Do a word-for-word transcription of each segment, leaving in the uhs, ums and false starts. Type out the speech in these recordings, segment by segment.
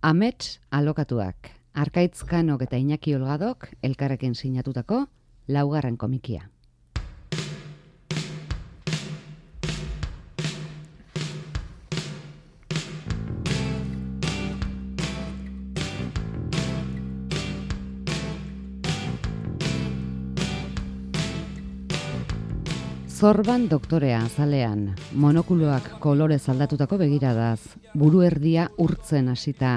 Amets alokatuak, Arkaitz Kanok eta Iñaki Olgadok elkarrekin sinatutako laugarren komikia. Zorban doktorea azalean, monokuloak kolorez aldatutako begiradaz, buru erdia urtzen hasita,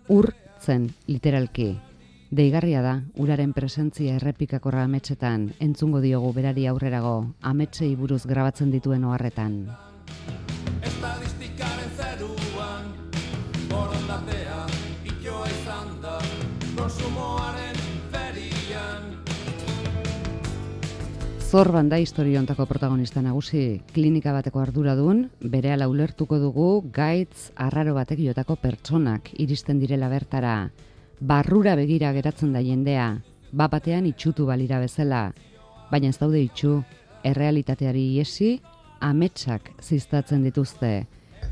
urtzen literalki. Deigarria da, uraren presentzia errepikakorra ametsetan, entzungo diogu berari aurrerago, ametsei buruz grabatzen dituen oharretan. Estadistikaren zeruan, borondatea, itoa izan da, konsumoaren ferian. Zorban da historiontako protagonista nagusi, klinika bateko arduradun, berehala ulertuko dugu gaitz arraro batek jotako pertsonak iristen direla bertara. Barrura begira geratzen da jendea, bapatean itxutu balira bezala, baina ez daude itxu, errealitateari iesi, ametsak ziztatzen dituzte,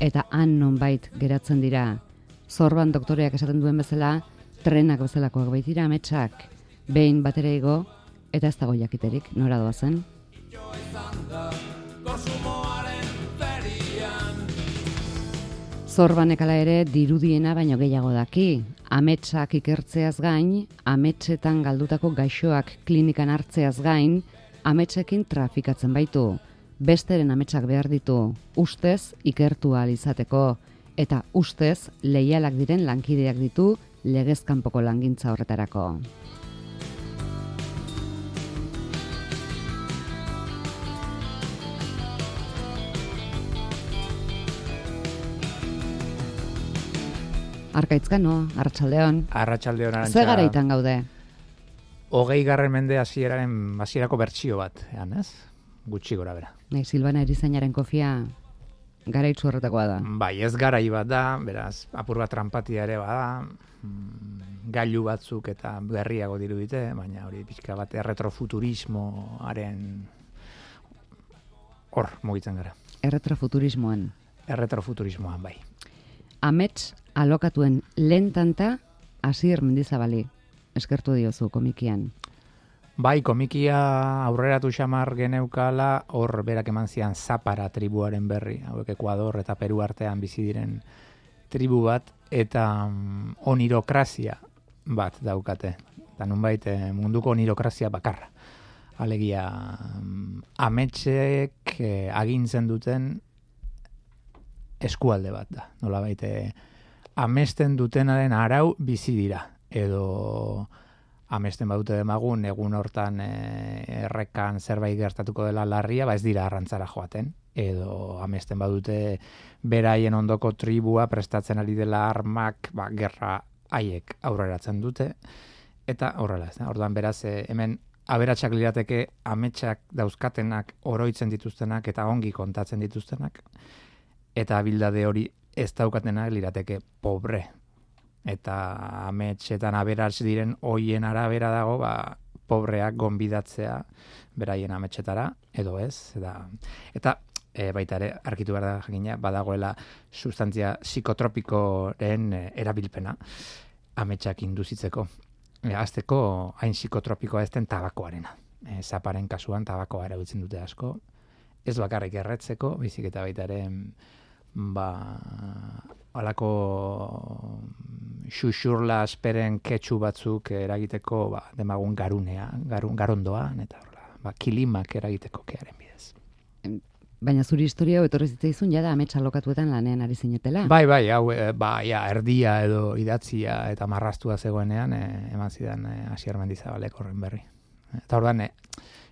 eta han nonbait geratzen dira. Zorban doktoreak esaten duen bezala, trenak bezalakoak baitira ametsak, behin batera igo, eta ez dago jakiterik, nora doazen. Zorbanek ala ere dirudiena baino gehiago daki. Ametsak ikertzeaz gain, ametsetan galdutako gaixoak klinikan hartzeaz gain, ametsekin trafikatzen baitu. Besteren ametsak behar ditu, ustez ikertu ahal izateko, eta ustez leialak diren lankideak ditu legezkanpoko langintza horretarako. Arkaitz Kano, Arratsaldeon. Arratsaldeon Arantxa. Ze garaitan gaude? Hogei garren mende hasieraren hasierako bertsio bat, ean, ez? Gutxi gora bera. Nahi, Silvana Erizainaren kofia garaitzu horretakoa da. Bai, ez garai bat da, beraz, apur bat tranpatia ere bada, mm, gailu batzuk eta berriago dirudite, baina hori pixka bat erretrofuturismoaren hor mugitzen gara. Erretrofuturismoan. Erretrofuturismoan, bai. Amets alokatuen lehen tanta Asier Mendizabali eskertu diozu komikian. Bai, komikia aurreratu xamar geneukala, hor berak eman zian Zapara tribuaren berri, hauek Ekuador eta Peru artean bizi diren tribu bat, eta mm, onirokrazia bat daukate. Eta nunbait munduko onirokrazia bakarra. Alegia, mm, ametsek eh, agintzen duten eskualde bat da. Nolabait amesten dutenaren arau bizi dira. Edo amesten badute demagun, egun hortan e, errekan zerbait gertatuko dela larria, ba ez dira arrantzara joaten. Edo amesten badute beraien ondoko tribua prestatzen ari dela armak, ba, gerra haiek aurreratzen dute. Eta horrela ez da. Orduan beraz, e, hemen aberatsak lirateke ametsak dauzkatenak, oroitzen dituztenak eta ongi kontatzen dituztenak. Eta abildade hori ez daukatenak lirateke pobre. Eta ametsetan aberats diren hoien arabera dago, ba, pobreak gonbidatzea beraien ametsetara, edo ez. Eta, eta e, baita ere, arkitu behar da jakina, badagoela sustantzia psikotropikoren e, erabilpena ametsak induzitzeko. E, azteko, hain psikotropikoa ez den tabakoarena. E, zaparen kasuan tabakoa erabiltzen dute asko. Ez bakarrik erretzeko, bizik eta baita ere, ba, alako xuxurla asperen ketxu batzuk eragiteko, ba, demagun garunea, garun, garondoan, eta horrela, ba, kilimak eragiteko kearen bidez. Baina zuri historia hau etorri zitzaizun jada ametsa lokatuetan lanean ari zinetela. Bai, bai, hau, e, ba, ja, erdia edo idatzia eta marrastua zegoenean, e, eman zidan e, Asier Mendizabalek horren berri. Eta orduan, e,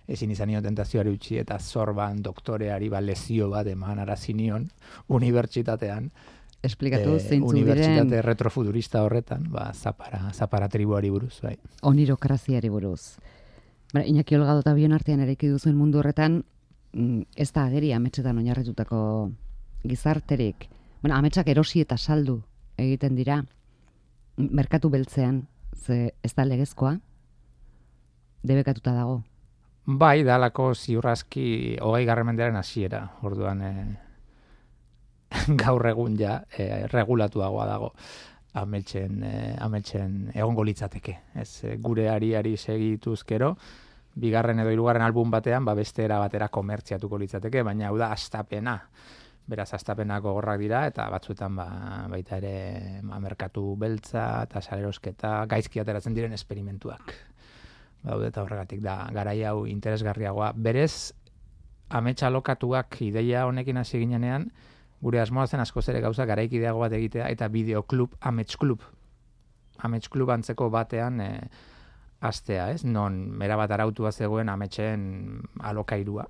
ezin izan nion tentazioari utzi eta Zorban doktoreari ba lezio bat eman arazinion unibertsitatean. Esplikatu e, zeintzuk diren. Unibertsitate retrofuturista horretan, ba, Zapara, Zapara tribuari buruz, bai. Onirokraziari buruz. Bara, Iñaki Olgado eta bion artean eraiki duzuen mundu horretan, ez da ageri ametsetan oinarritutako gizarterik. Bueno, ametsak erosi eta saldu egiten dira, merkatu beltzean, ze ez da legezkoa, debekatuta dago. Bai, dalako ziurrazki hogei garren mendearen hasiera, orduan e, gaur egun ja e, regulatuagoa dago. ametxen, eh, ametxen egongo litzateke. Ez, eh, gure ariari segituzkero, bigarren edo hirugarren album batean, ba beste era batera komertziatuko litzateke, baina hau da hastapena. Beraz, hastapenak gogorrak dira, eta batzuetan ba, baita ere ba, merkatu beltza eta salerosketa gaizki ateratzen diren esperimentuak. Daude eta horregatik da garai hau interesgarriagoa. Berez, amets alokatuak ideia honekin hasi ginenean, gure asmoa zen askoz ere gauza garaikideago bat egitea, eta bideoklub, amets klub. Amets klub antzeko batean e, astea, ez? Non, mera bat arautua zegoen ametsen alokairua.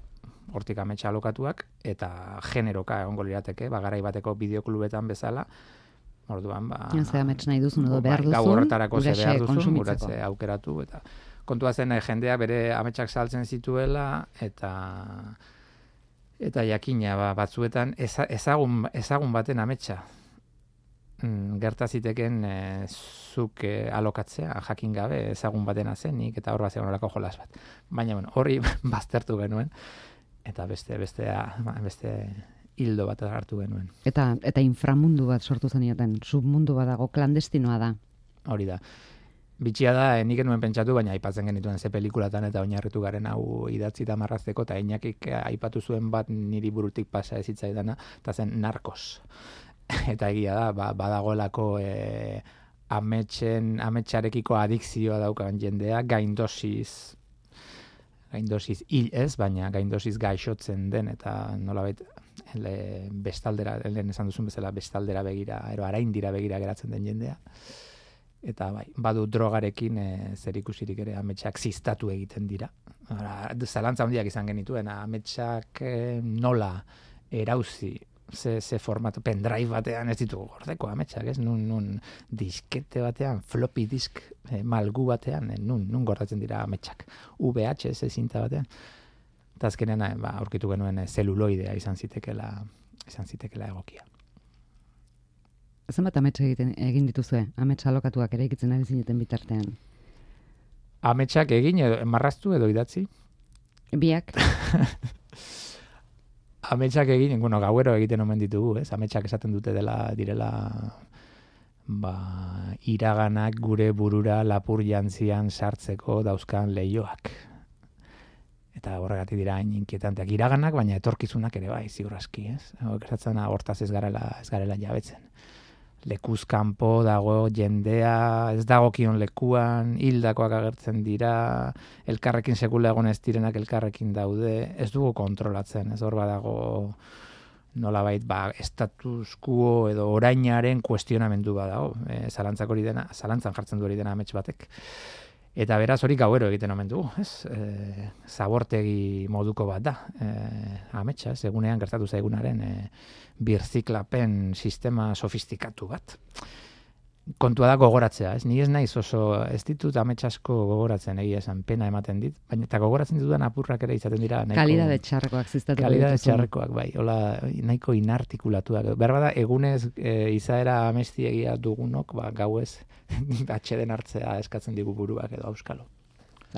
Hortik ametsa alokatuak, eta generoka egongo lirateke, ba, garai bateko bideoklubetan bezala, orduan, ba... Ze amets nahi duzun edo behar duzun, gau horretarako ze behar duzun, kontsumitzeko. guratze aukeratu, eta kontua zen jendeak bere ametsak saltzen zituela, eta eta jakina ba, batzuetan eza, ezagun, ezagun baten ametsa mm, gerta ziteken e, zuk e, alokatzea, jakin gabe ezagun batena zenik, eta hor bat zegoen olako jolas bat. Baina, bueno, hori baztertu genuen, eta beste bestea, beste hildo bat hartu genuen. Eta eta inframundu bat sortu zenioten, submundu bat dago, klandestinoa da. Hori da. Bitxia da, nik enuen pentsatu, baina aipatzen genituen ze pelikulatan eta oinarritu garen hau idatzi eta marrazteko, eta Inakik aipatu zuen bat niri burutik pasa ez hitzaidana, eta zen Narcos. Eta egia da, ba, badagoelako e, ametsen, ametsarekiko adikzioa daukan jendea, gaindosiz, gaindosiz hil ez, baina gaindosiz gaixotzen den, eta nolabait ele, bestaldera, lehen esan duzun bezala, bestaldera begira, ero araindira begira geratzen den jendea. Eta bai, badu drogarekin e, zer ikusirik ere ametsak ziztatu egiten dira. Ora, zalantza handiak izan genituen, ametsak e, nola erauzi, ze, ze formatu, pendrive batean ez ditugu gordeko ametsak, ez? Nun, nun diskete batean, floppy disk e, malgu batean, e, nun, nun gordatzen dira ametsak. V H S zinta batean. Eta azkenean, ba, aurkitu genuen e, zeluloidea izan zitekela, izan zitekela egokia. Zenbat amets egiten egin dituzue? Amets alokatuak ere ikitzen ari zineten bitartean. Ametsak egin edo marraztu edo idatzi? Biak. Ametsak egin, bueno, gauero egiten omen ditugu, ez? Ametsak esaten dute dela direla ba, iraganak gure burura lapur jantzian sartzeko dauzkan leioak. Eta horregatik dira hain inkietanteak iraganak, baina etorkizunak ere bai, ziur aski, ez? Gertatzen hortaz ez garela, ez garela jabetzen. Lekuz kanpo dago jendea, ez dagokion lekuan, hildakoak agertzen dira, elkarrekin sekula egon ez direnak elkarrekin daude, ez dugu kontrolatzen, ez hor badago nolabait ba, status quo edo orainaren kuestionamendu badago, e, zalantzak hori dena, zalantzan jartzen du hori dena amets batek. Eta beraz hori gauero egiten omen dugu, ez? E, zabortegi moduko bat da, e, ametsa, ez? Egunean gertatu zaigunaren e, birziklapen sistema sofistikatu bat. Kontua da gogoratzea, ez? Ni ez naiz oso, ez ditut amets asko gogoratzen, egia esan, pena ematen dit, baina eta gogoratzen ditudan apurrak ere izaten dira. Nahiko, kalidade txarrekoak ziztatuko dituzu. Kalidade txarrekoak, bai, hola, nahiko inartikulatuak. Berbada, egunez e, izaera amestiegia dugunok, ba, gauez, atxeden hartzea eskatzen digu buruak edo auskalo.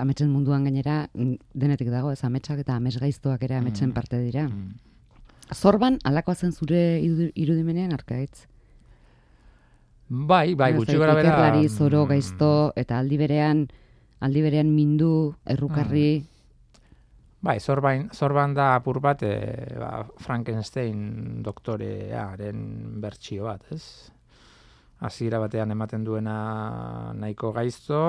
Ametsen munduan gainera denetik dago, ez ametsak eta amesgaiztoak ere ametsen mm. parte dira. Mm. Zorban, alakoa zen zure irudimenean arkaitz? Bai, bai, gutxi gara bera... Ikerlari, zoro, gaizto, eta aldi berean, aldi berean mindu, errukarri... Bai, zorban, zorban da apur bat, e, ba, Frankenstein doktorearen bertsio bat, ez? Hasiera batean ematen duena nahiko gaizto,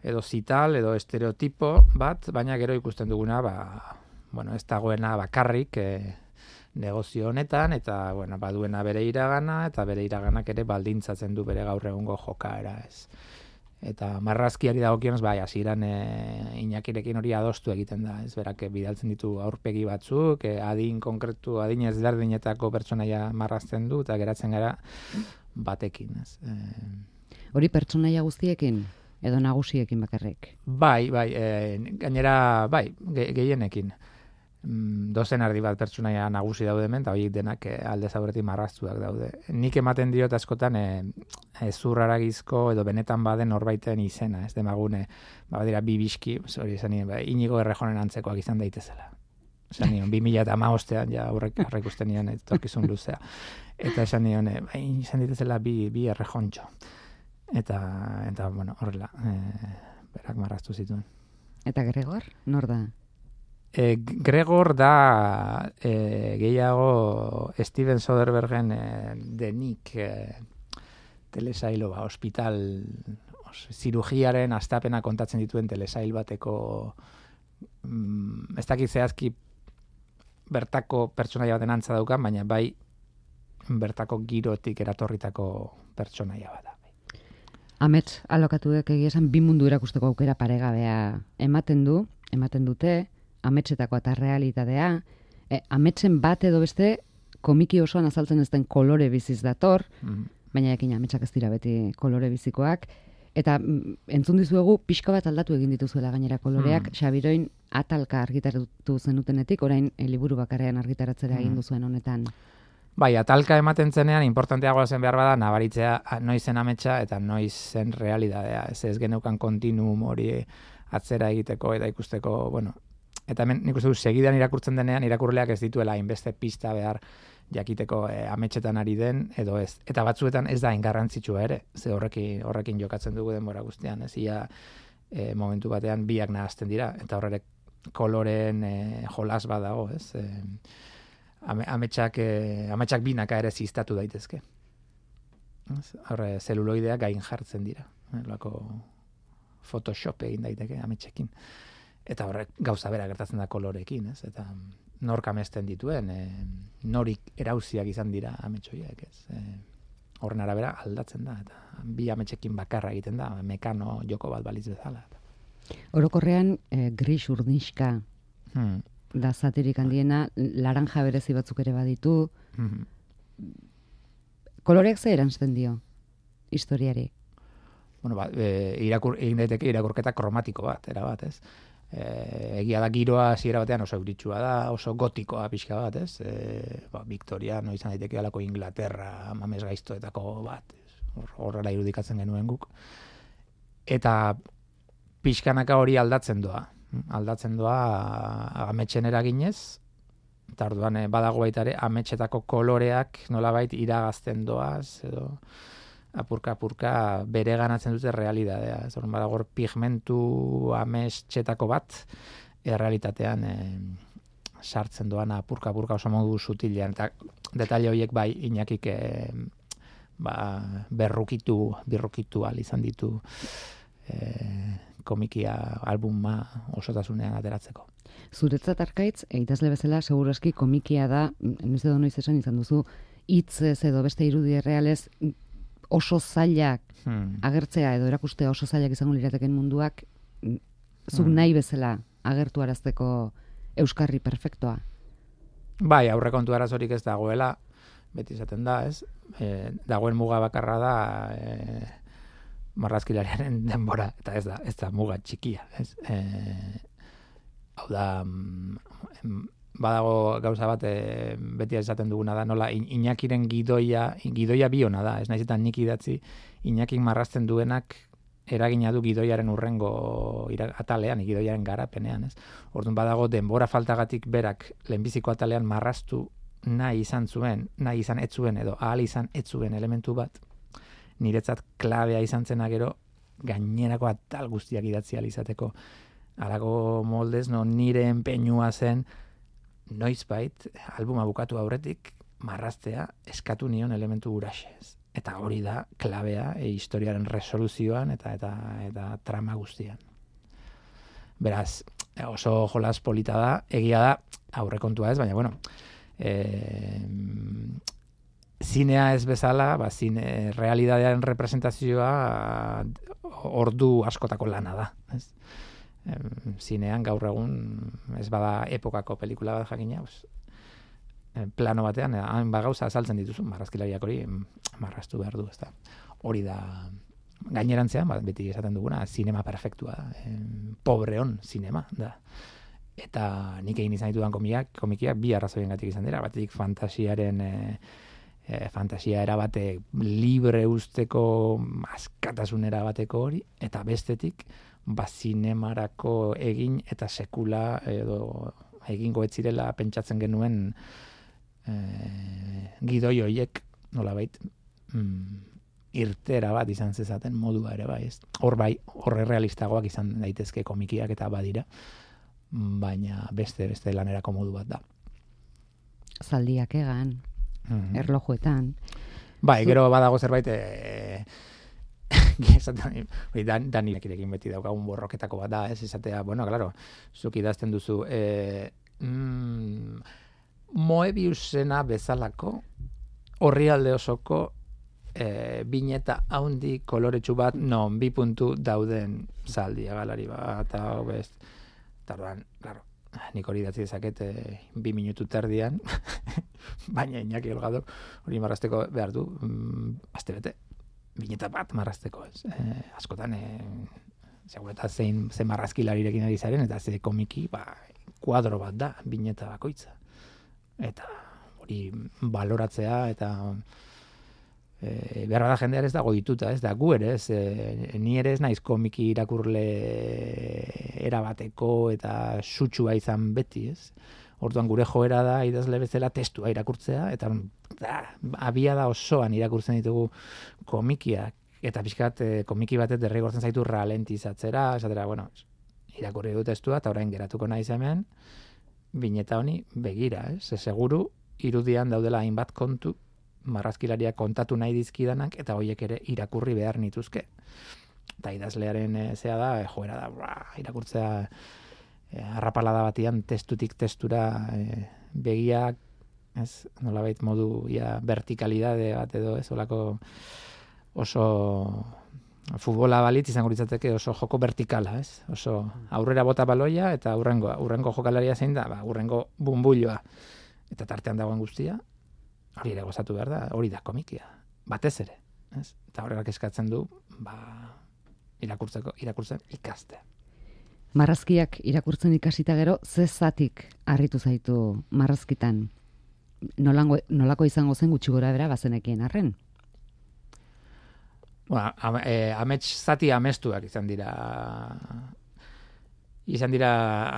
edo zital, edo estereotipo bat, baina gero ikusten duguna, ba, bueno, ez dagoena bakarrik e, negozio honetan, eta bueno, baduena bere iragana, eta bere iraganak ere baldintzatzen du bere gaur egungo jokaera, ez. Eta marrazkiari dagokionez, bai, hasieran e, Inakirekin hori adostu egiten da, ez, berak bidaltzen ditu aurpegi batzuk, e, adin konkretu, adin ezberdinetako pertsonaia marrazten du, eta geratzen gara batekin, ez. E... Hori pertsonaia guztiekin? Edo nagusiekin bakarrik? Bai, bai, e, gainera, bai, ge, gehienekin. Mm, dozen ardi bat pertsonaia nagusi daude hemen, eta horiek denak e, alde zaurretik marraztuak daude. Nik ematen diot askotan e, e, zurraragizko edo benetan baden norbaiten izena, ez demagune, ba, dira bi biski, hori esan nien, ba, Inigo Errejonen antzekoak izan daitezela. esan nion, bi mila eta hamabostean ja aurrek ikusten nion etorkizun luzea. Eta esan nion, e, bai, izan ditezela bi, bi errejontxo. Eta, eta, bueno, horrela, e, berak marraztu zituen. Eta Gregor, nor da? E, Gregor da e, gehiago Steven Soderberghen e, denik e, telesailo, ba, hospital, os, zirugiaren astapena kontatzen dituen telesail bateko, mm, ez dakit zehazki bertako pertsonaia baten antza daukan, baina bai bertako girotik eratorritako pertsonaia bat da. Amets alokatuek egia esan bi mundu erakusteko aukera paregabea ematen du, ematen dute, ametsetako eta realitatea, e, ametsen bat edo beste komiki osoan azaltzen ez den kolore biziz dator, mm. baina ekin ametsak ez dira beti kolore bizikoak, eta mm, entzun dizuegu pixka bat aldatu egin dituzuela gainera koloreak, mm. Xabiroin atalka argitaratu zenutenetik, orain e, liburu bakarrean argitaratzera egin duzuen honetan. Bai, atalka ematen zenean, importanteagoa zen behar bada, nabaritzea noizen ametsa eta noizen realidadea. Ez ez geneukan kontinuum hori atzera egiteko eta ikusteko, bueno, eta hemen nik uste du segidan irakurtzen denean, irakurleak ez dituela hainbeste pista behar jakiteko e, ametsetan ari den, edo ez. Eta batzuetan ez da ingarrantzitsua ere, ze horrekin, horrekin jokatzen dugu denbora guztian, ez ia e, momentu batean biak nahazten dira, eta horrek koloren e, jolas bat dago, ez. E, ametsak, e, ametsak binaka ere ziztatu daitezke. Horre, zeluloideak gain jartzen dira. Lako Photoshop egin daiteke ametsekin. Eta horrek gauza bera gertatzen da kolorekin, ez? Eta nork amesten dituen, e, norik erauziak izan dira ametsoiek, ez? E, horren arabera aldatzen da, eta bi ametsekin bakarra egiten da, mekano joko bat baliz bezala. Orokorrean, e, gris urdinxka hmm. da zatirik handiena, laranja berezi batzuk ere baditu. Hmm. Koloreak ze erantzten dio historiari? Bueno, ba, e, irakur, egin daiteke irakurketa kromatiko bat, era bat, ez? E, egia da giroa hasiera batean oso euritsua da, oso gotikoa pixka bat, ez? E, ba, Victoria, no izan daiteke alako Inglaterra, mames gaiztoetako bat, horrela irudikatzen genuen guk. Eta pixkanaka hori aldatzen doa, aldatzen doa ametsen eraginez, eta orduan badago baita ere ametsetako koloreak nolabait iragazten doaz, edo apurka-apurka bere ganatzen dute realidadea. Ez orduan badago pigmentu ametsetako bat, errealitatean e, sartzen doan apurka-apurka oso modu sutilean, eta detaile horiek bai Iñakik e, ba, berrukitu, birrukitu al izan ditu e, komikia albuma osotasunean ateratzeko. Zuretzat Arkaitz, idazle bezala, segurazki komikia da, ez edo noiz esan izan duzu, hitzez edo beste irudi errealez oso zailak hmm. agertzea edo erakustea oso zailak izango lirateken munduak zuk hmm. nahi bezala agertu arazteko euskarri perfektoa. Bai, aurrekontu arazorik ez dagoela, beti izaten da, ez? E, dagoen muga bakarra da e, marrazkilariaren denbora, eta ez da, ez da muga txikia, ez? E, hau da, badago gauza bat, e, beti esaten duguna da, nola Iñakiren gidoia, gidoia biona da, ez naizetan nik idatzi, Iñakin marrazten duenak eragina du gidoiaren urrengo atalean, gidoiaren garapenean, ez? Orduan badago denbora faltagatik berak lehenbiziko atalean marraztu nahi izan zuen, nahi izan ez zuen, edo ahal izan ez zuen elementu bat, niretzat klabea izan zena gero, gainerako atal guztiak idatzi ahal izateko. Halako moldez, no, nire enpeinua zen, noizbait, albuma bukatu aurretik, marraztea eskatu nion elementu guraxez. Eta hori da klabea e, historiaren resoluzioan eta, eta, eta trama guztian. Beraz, oso jolas polita da, egia da, aurrekontua ez, baina, bueno, e, zinea ez bezala, ba, zine, realidadearen representazioa ordu askotako lana da, ez? Zinean gaur egun ez bada epokako pelikula bat jakina, plano batean hain ba gauza azaltzen dituzu, marrazkilariak hori marraztu behar du, ezta. Hori da gainerantzean, ba, beti esaten duguna, zinema perfektua da, e, pobreon zinema da. Eta nik egin izan ditudan komiak, komikiak bi arrazoiengatik izan dira, batetik fantasiaren e, e, fantasia erabate libre usteko askatasunera bateko hori, eta bestetik ba zinemarako egin eta sekula edo egingo ez zirela pentsatzen genuen e, gidoi hoiek nolabait mm, irtera bat izan zezaten modua ere bai, ez? Hor bai, horre realistagoak izan daitezke komikiak eta badira, baina beste beste lanerako modu bat da. Zaldiak egan, mm-hmm. erlojuetan. Bai, Zu... gero badago zerbait e, esaten, dan, danirekin beti daukagun borroketako bat da, ez esatea, bueno, claro, zuk idazten duzu, e, mm, Moebiusena bezalako orrialde osoko E, bineta haundi koloretsu bat non bi puntu dauden zaldia galari bat eta best. Tardan, claro, nik hori datzi dezaket e, bi minutu terdian, baina Iñaki Olgadok hori marrazteko behar du, mm, aste bete, bineta bat marrazteko, ez. E, askotan, e, segur eta zein, zein marrazkilarirekin ari zaren, eta ze komiki, ba, kuadro bat da, bineta bakoitza. Eta hori baloratzea, eta E, behar da jendean ez dago dituta, ez da gu ere, ez, e, ni ere ez naiz komiki irakurle erabateko eta sutsua izan beti, ez. Orduan gure joera da idazle bezala testua irakurtzea, eta da, abia da osoan irakurtzen ditugu komikiak, eta pixkat e, komiki batet derrigortzen zaitu ralentizatzera, esatera, bueno, irakurri dut testua, eta orain geratuko naiz hemen, bineta honi begira, ez, ez seguru, irudian daudela hainbat kontu, marrazkilaria kontatu nahi dizkidanak, eta hoiek ere irakurri behar nituzke. Eta idazlearen e, zea da, e, joera da, bra, irakurtzea e, arrapalada batian testutik testura e, begiak, ez, nolabait modu ja, vertikalidade bat edo, ez, olako oso futbola balitz izango litzateke oso joko vertikala, ez, oso aurrera bota baloia, eta aurrengo, aurrengo jokalaria zein da, ba, aurrengo bumbulloa, eta tartean dagoen guztia, hori ere gozatu behar da, hori da komikia, batez ere, ez? Eta horregak eskatzen du, ba, irakurtzeko, irakurtzen ikastea. Marrazkiak irakurtzen ikasita gero, ze zatik harritu zaitu marrazkitan? Nolango, nolako izango zen gutxi gora bera bazenekien arren? Bueno, am, e, amets zati amestuak izan dira, izan dira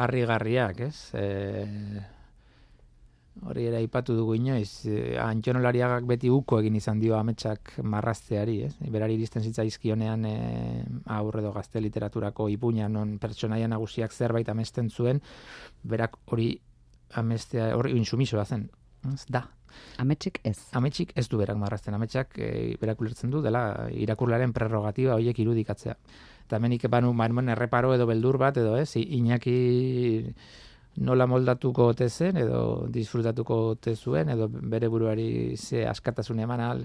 harrigarriak, ez? E, Hori ere aipatu dugu inoiz, Antxon Olariagak beti uko egin izan dio ametsak marrazteari, ez? Berari iristen zitzaizkionean e, aurre edo gazte literaturako ipuina non pertsonaia nagusiak zerbait amesten zuen, berak hori amestea, hori insumisoa zen, ez da. Ametsik ez. Ametsik ez du berak marrazten, ametsak e, berak ulertzen du dela irakurlaren prerrogatiba horiek irudikatzea. Eta hemenik banu manuen erreparo edo beldur bat edo ez, Iñaki nola moldatuko ote zen, edo disfrutatuko ote zuen, edo bere buruari ze askatasun eman, al,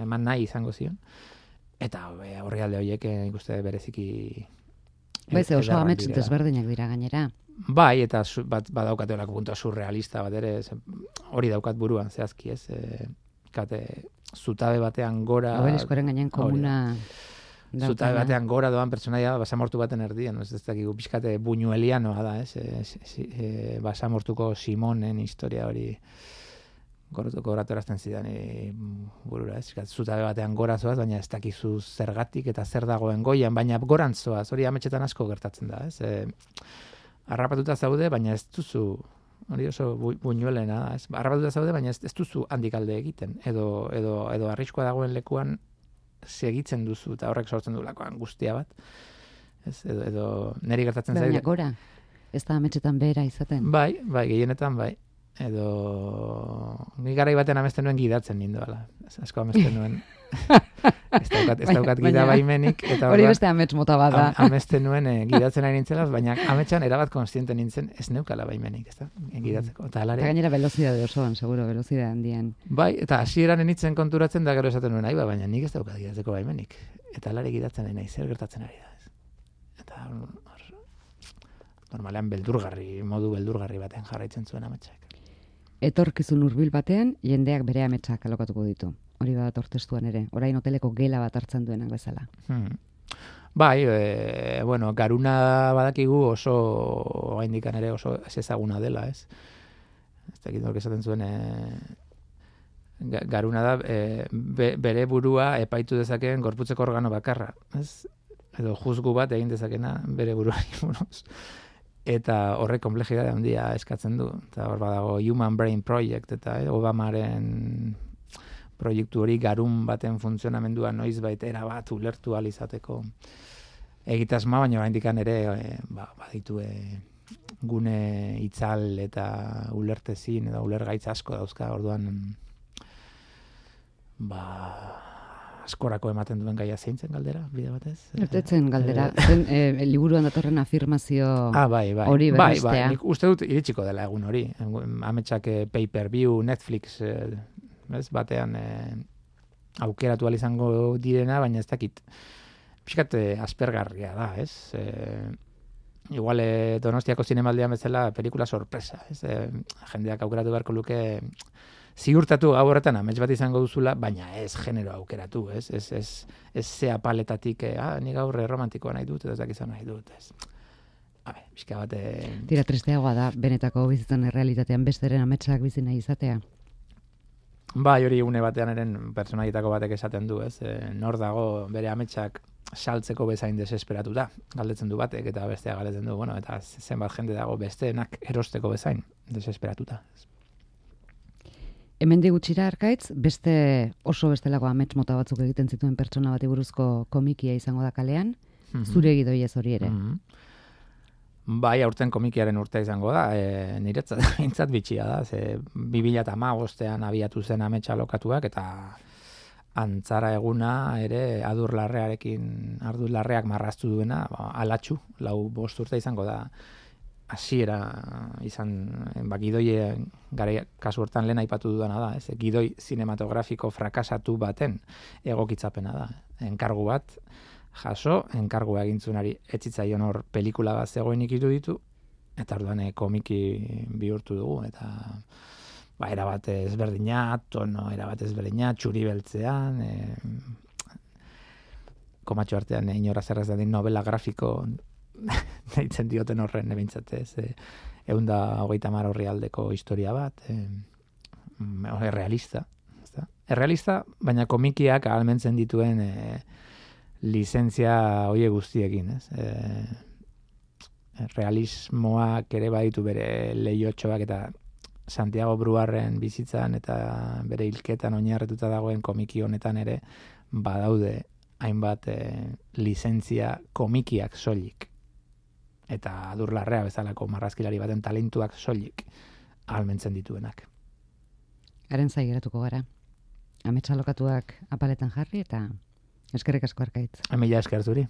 eman nahi izango zion. Eta horri alde horiek ikuste bereziki... Baiz, oso amets desberdinak dira gainera. Bai, eta su, bat, badaukate horako puntua surrealista bat ere, ze, hori daukat buruan, zehazki, ez? E, kate, zutabe batean gora... Obeliskoren gainen komuna... Zutabe batean gora doan pertsonaia basamortu baten erdian, ez, ez dakigu pixkate buñuelianoa da, ez, e, e, basamortuko Simonen historia hori goratu erazten zidan e, burura, ez, zutabe batean gora zoaz, baina ez dakizu zergatik eta zer dagoen goian, baina gorantzoaz, hori ametxetan asko gertatzen da, ez, e, harrapatuta zaude, baina ez duzu, hori oso bu, buñuelena, ez, harrapatuta zaude, baina ez, ez duzu handikalde egiten, edo, edo, edo arriskoa dagoen lekuan, segitzen duzu, eta horrek sortzen du lako angustia bat. Ez, edo, edo neri gertatzen zaio. Baina gora, ez da ametxetan behera izaten. Bai, bai, gehienetan bai. Edo, ni garai baten amesten nuen gidatzen nindoala. Asko amesten nuen. ez daukat, ez daukat gida baimenik. Eta hori beste amets mota bat da. Am, amesten nuen e, gidatzen ari nintzela, baina ametxan erabat konstiente nintzen ez neukala baimenik, ez da, gidatzeko. Eta, alare, eta gainera velozidade osoan, seguro, velozidade handian. Bai, eta hasieran enitzen konturatzen da gero esaten nuen, aiba, baina nik ez daukat gidatzeko baimenik. Eta alare gidatzen nahi, zer gertatzen ari da. Ez. Eta or, normalean beldurgarri, modu beldurgarri baten jarraitzen zuen ametsak. Etorkizun hurbil batean, jendeak bere ametsak alokatuko ditu. Hori bat ortestuan ere, orain hoteleko gela bat hartzen duenak bezala. Hmm. Bai, e, bueno, garuna badakigu oso, oraindikan ere oso ez ezaguna dela, ez? Ez dakit nork esaten zuen, e, garuna da e, be, bere burua epaitu dezakeen gorputzeko organo bakarra, ez? Edo juzgu bat egin dezakena bere buruari buruz. eta horrek komplexidade handia eskatzen du. Eta hor badago Human Brain Project, eta eh, Obamaren proiektu hori garun baten funtzionamendua noizbait erabat ulertu ahal izateko egitasma, baina oraindikan ere e, ba, baditu e, gune itzal eta ulertezin edo ulergaitz asko dauzka, orduan ba askorako ematen duen gaia zeintzen galdera, bide batez? Ertetzen galdera, zen e, liburuan datorren afirmazio ah, bai, bai. hori bai, berrestea. bai, nik uste dut iritsiko dela egun hori. Ametsak e, pay-per-view, Netflix, e, ez, batean e, aukeratu ahal izango direna, baina ez dakit pixkat e, aspergarria da, ez? E, igual e, Donostiako zinemaldian bezala pelikula sorpresa, ez? E, jendeak aukeratu beharko luke ziurtatu gau horretan amets bat izango duzula, baina ez genero aukeratu, ez? Ez, ez, ez zea paletatik, eh, ah, ni gaur romantikoa nahi dut, edo ez dakizan nahi dut, ez? Habe, pixka bat... Eh... Tira, tristeagoa da, benetako bizitzen errealitatean besteren ametsak bizi nahi izatea. Bai, hori une batean eren pertsonaietako batek esaten du, ez? E, nor dago bere ametsak saltzeko bezain desesperatuta, galdetzen du batek, eta bestea galdetzen du, bueno, eta zenbat jende dago besteenak erosteko bezain desesperatuta. Hemendik gutxira Arkaitz, beste oso bestelako amets mota batzuk egiten zituen pertsona bati buruzko komikia izango da kalean, mm-hmm. zure gidoiez hori ere. Mm-hmm. Bai, aurten komikiaren urtea izango da, e, niretzat bintzat bitxia da, ze bi mila hamabostean abiatu zen ametsa lokatuak, eta antzara eguna ere adurlarrearekin, adurlarreak marraztu duena, ba, alatxu, lau bost urte izango da, hasiera izan, ba, gidoie gara kasu hortan lehen aipatu dudana da, ez, gidoi zinematografiko frakasatu baten egokitzapena da. Enkargu bat, jaso, enkargua egintzunari etzitzaion hor pelikula bat zegoenik iruditu, eta orduan e, komiki bihurtu dugu, eta ba, erabat ezberdina, tono erabat ezberdina, txuri beltzean, e, komatxo artean e, inora zerrez dadin novela grafiko deitzen dioten horren ebintzatez, e, eunda hogeita mar horri aldeko historia bat, e, errealista. Errealista, baina komikiak ahalmentzen dituen e, lizentzia hoie guztiekin, ez? E, realismoak ere baditu bere lehiotxoak eta Santiago Bruarren bizitzan eta bere hilketan oinarretuta dagoen komiki honetan ere badaude hainbat e, lizentzia komikiak soilik. Eta adurlarrea bezalako marrazkilari baten talentuak soilik ahalmentzen dituenak. Haren zaigeratuko gara. Ametsa lokatuak apaletan jarri eta eskerrik asko Arkaitz. Mila esker zuri.